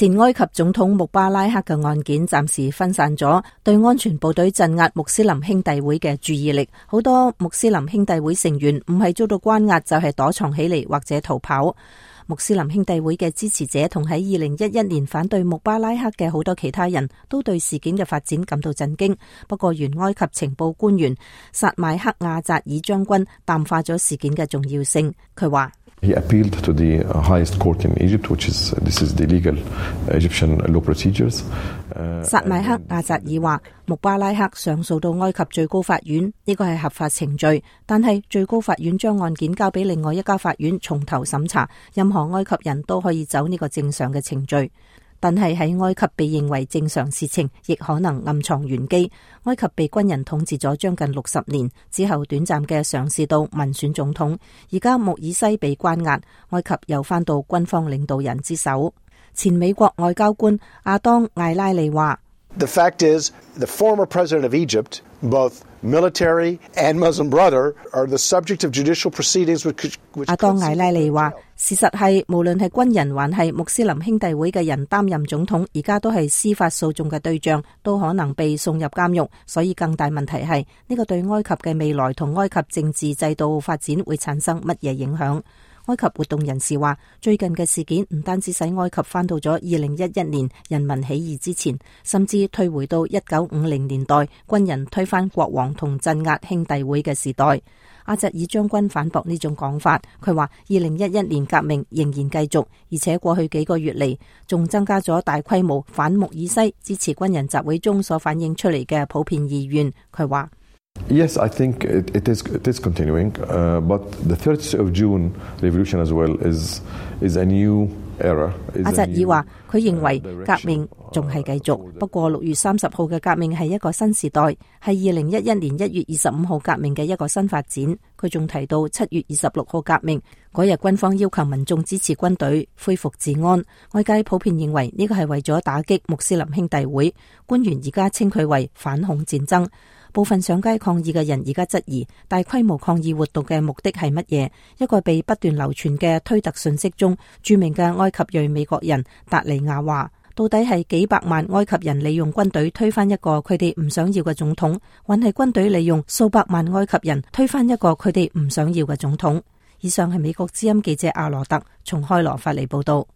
前埃及總統穆巴拉克嘅案件暫時分散咗對安全部隊鎮壓穆斯林兄弟會嘅注意力，好多穆斯林兄弟會成員唔係遭到關押，就係躲藏起嚟或者逃跑。穆斯林兄弟會嘅支持者同喺2011年反對穆巴拉克嘅好多其他人都對事件嘅發展感到震驚。不過原埃及情報官員薩邁克亞扎爾將軍淡化咗事件嘅重要性。佢話He appealed to the highest court in Egypt, this is the legal Egyptian law procedures. 薩邁克亞扎爾話，穆巴拉克上訴到埃及最高法院，呢個係合法程序，但係最高法院將案件交俾另外一家法院從頭審查，任何埃及人都可以走呢個正常嘅程序。但係喺埃及被認為正常事情，亦可能暗藏玄機。埃及被軍人統治咗將近60年，之後短暫嘅嘗試到民選總統，而家穆爾西被關押，埃及又返到軍方領導人之手。前美國外交官阿當艾拉利話：The fact is, the former president of Egypt, both military and Muslim brother, are the subject of judicial proceedings which 阿當艾拉利話，事實係無論係軍人還係穆斯林兄弟會嘅人擔任總統，而家都係司法訴訟嘅對象，都可能被送入監獄。所以更大問題係呢個對埃及嘅未來同埃及政治制度發展會產生乜嘢影響？埃及活動人士話，最近嘅事件唔單止使埃及返到咗2011年人民起義之前，甚至退回到1950年代軍人推翻國王同鎮壓兄弟會嘅時代。阿扎爾將軍反駁呢種講法，佢話2011年革命仍然繼續，而且過去幾個月嚟仲增加咗大規模反穆爾西支持軍人集會中所反映出嚟嘅普遍意願。佢話Yes, I think it is continuing, but the 30th of June revolution as well is a new era. 阿扎爾話，佢認為革命仲係繼續，不過6月30號嘅革命係一個新時代，係2011年1月25號革命嘅一個新發展。佢仲提到7月26號革命嗰日，軍方要求民眾支持軍隊恢復治安。外界普遍認為呢個係為咗打擊穆斯林兄弟會，官員而家稱佢為反恐戰爭。部分上街抗議嘅人而家質疑大規模抗議活動嘅目的係乜嘢？一個被不斷流傳嘅推特信息中，著名嘅埃及裔美國人達利亞話：到底係幾百萬埃及人利用軍隊推翻一個佢哋唔想要嘅總統，還係軍隊利用數百萬埃及人推翻一個佢哋唔想要嘅總統？以上係美國之音記者阿羅特從開羅發嚟報道。